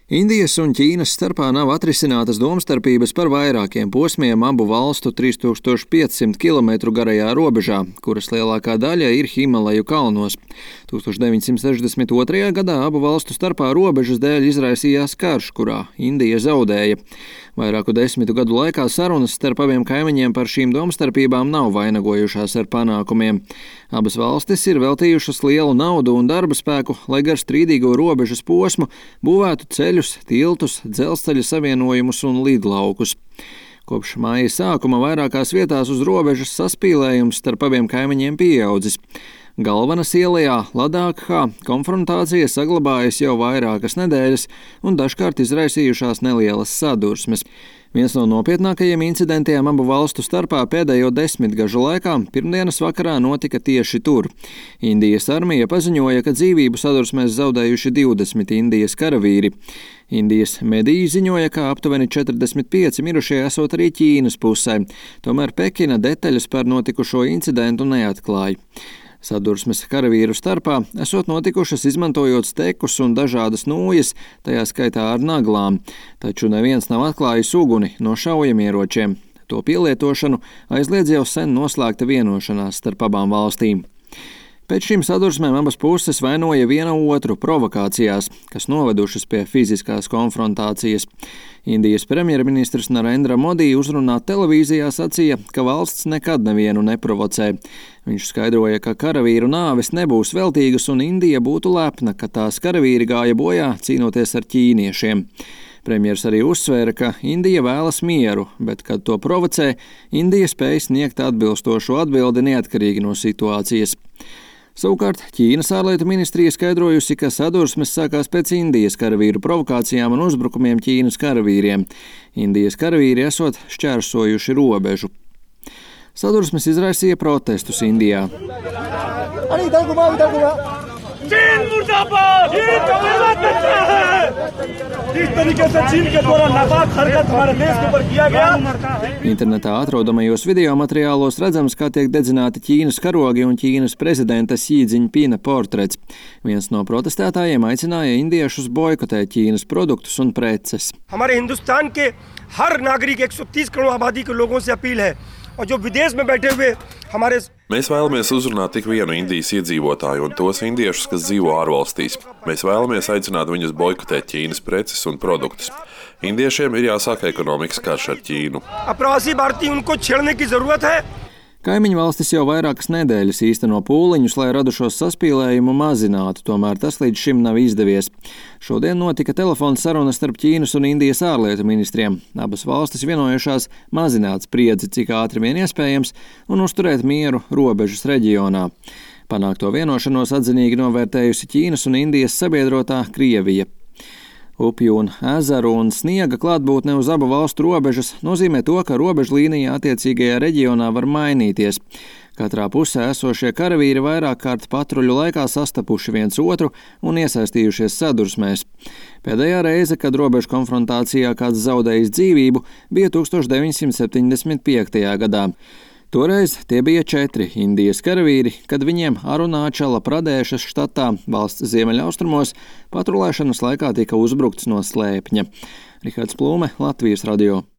Indijas un Ķīnas starpā nav atrisinātas domstarpības par vairākiem posmiem abu valstu 3500 km garajā robežā, kuras lielākā daļa ir Himaleju kalnos. 1962. gadā abu valstu starpā robežas dēļ izraisījās karš, kurā Indija zaudēja. Vairāku desmitu gadu laikā sarunas starp abiem kaimiņiem par šīm domstarpībām nav vainagojušās ar panākumiem. Abas valstis ir veltījušas lielu naudu un darba spēku, lai gar strīdīgo robežas posmu būvētu ceļus, tiltus, dzelzceļa savienojumus un lidlaukus. Kopš māja sākuma vairākās vietās uz robežas saspīlējums starp abiem kaimiņiem pieaudzis. Galvanas ielā Ladākhā konfrontācija saglabājas jau vairākas nedēļas un dažkārt izraisījušās nelielas sadursmes. Viens no nopietnākajiem incidentiem abu valstu starpā pēdējo desmitgažu laikā pirmdienas vakarā notika tieši tur. Indijas armija paziņoja, ka dzīvību sadursmēs zaudējuši 20 Indijas karavīri. Indijas mediji ziņoja, ka aptuveni 45 mirušie esot arī Ķīnas pusē, tomēr Pekina detaļas par notikušo incidentu neatklāja. Sadursmes karavīru starpā esot notikušas izmantojot stekus un dažādas nūjas, tajā skaitā ar naglām, taču neviens nav atklājis uguni no šaujamieročiem. To pielietošanu aizliedz jau sen noslēgta vienošanās starp abām valstīm. Pēc šīm sadursmēm abas puses vainoja viena otru provokācijās, kas novedušas pie fiziskās konfrontācijas. Indijas premjerministrs Narendra Modi uzrunā televīzijā sacīja, ka valsts nekad nevienu neprovocē. Viņš skaidroja, ka karavīru nāves nebūs veltīgas un Indija būtu lepna, ka tās karavīri gāja bojā cīnoties ar ķīniešiem. Premjers arī uzsvēra, ka Indija vēlas mieru, bet, kad to provocē, Indija spēj sniegt atbilstošu atbildi neatkarīgi no situācijas. Savukārt Ķīnas ārlietu ministrija skaidrojusi, ka sadursmes sākās pēc Indijas karavīru provokācijām un uzbrukumiem Ķīnas karavīriem. Indijas karavīri esot šķērsojuši robežu. Sadursmes izraisīja protestus Indijā. Internetā atrodamajos video materiālos redzams, kā tiek dedzināti Ķīnas karogi un Ķīnas prezidenta Xi Jinpinga portrets. Viens no protestētājiem aicināja indiešus boikotēt Ķīnas produktus un preces. Mēs vēlamies uzrunāt tik vienu Indijas iedzīvotāju un tos indiešus, kas dzīvo ārvalstīs. Mēs vēlamies aicināt viņus boikotēt Ķīnas preces un produktus. Indiešiem ir jāsāk ekonomikas karš ar Ķīnu. Kaimiņu valstis jau vairākas nedēļas īsteno pūliņus, lai radušos saspīlējumu mazinātu, tomēr tas līdz šim nav izdevies. Šodien notika telefona saruna starp Ķīnas un Indijas ārlietu ministriem. Abas valstis vienojušās mazināt spriedzi, cik ātri vien iespējams, un uzturēt mieru robežas reģionā. Panākto vienošanos atzinīgi novērtējusi Ķīnas un Indijas sabiedrotā Krievija. Upju un ezeru un sniega klātbūtne uz abu valstu robežas nozīmē to, ka robežlīnija attiecīgajā reģionā var mainīties. Katrā pusē esošie karavīri vairāk kārt patruļu laikā sastapuši viens otru un iesaistījušies sadursmēs. Pēdējā reize, kad robežu konfrontācijā kāds zaudējis dzīvību, bija 1975. gadā. Toreiz tie bija 4 Indijas karavīri, kad viņiem Arunāčala Pradēšas štatā, valsts ziemeļaustrumos, patrulēšanas laikā tika uzbrukts no slēpņa. Rihards Plūme, Latvijas radio.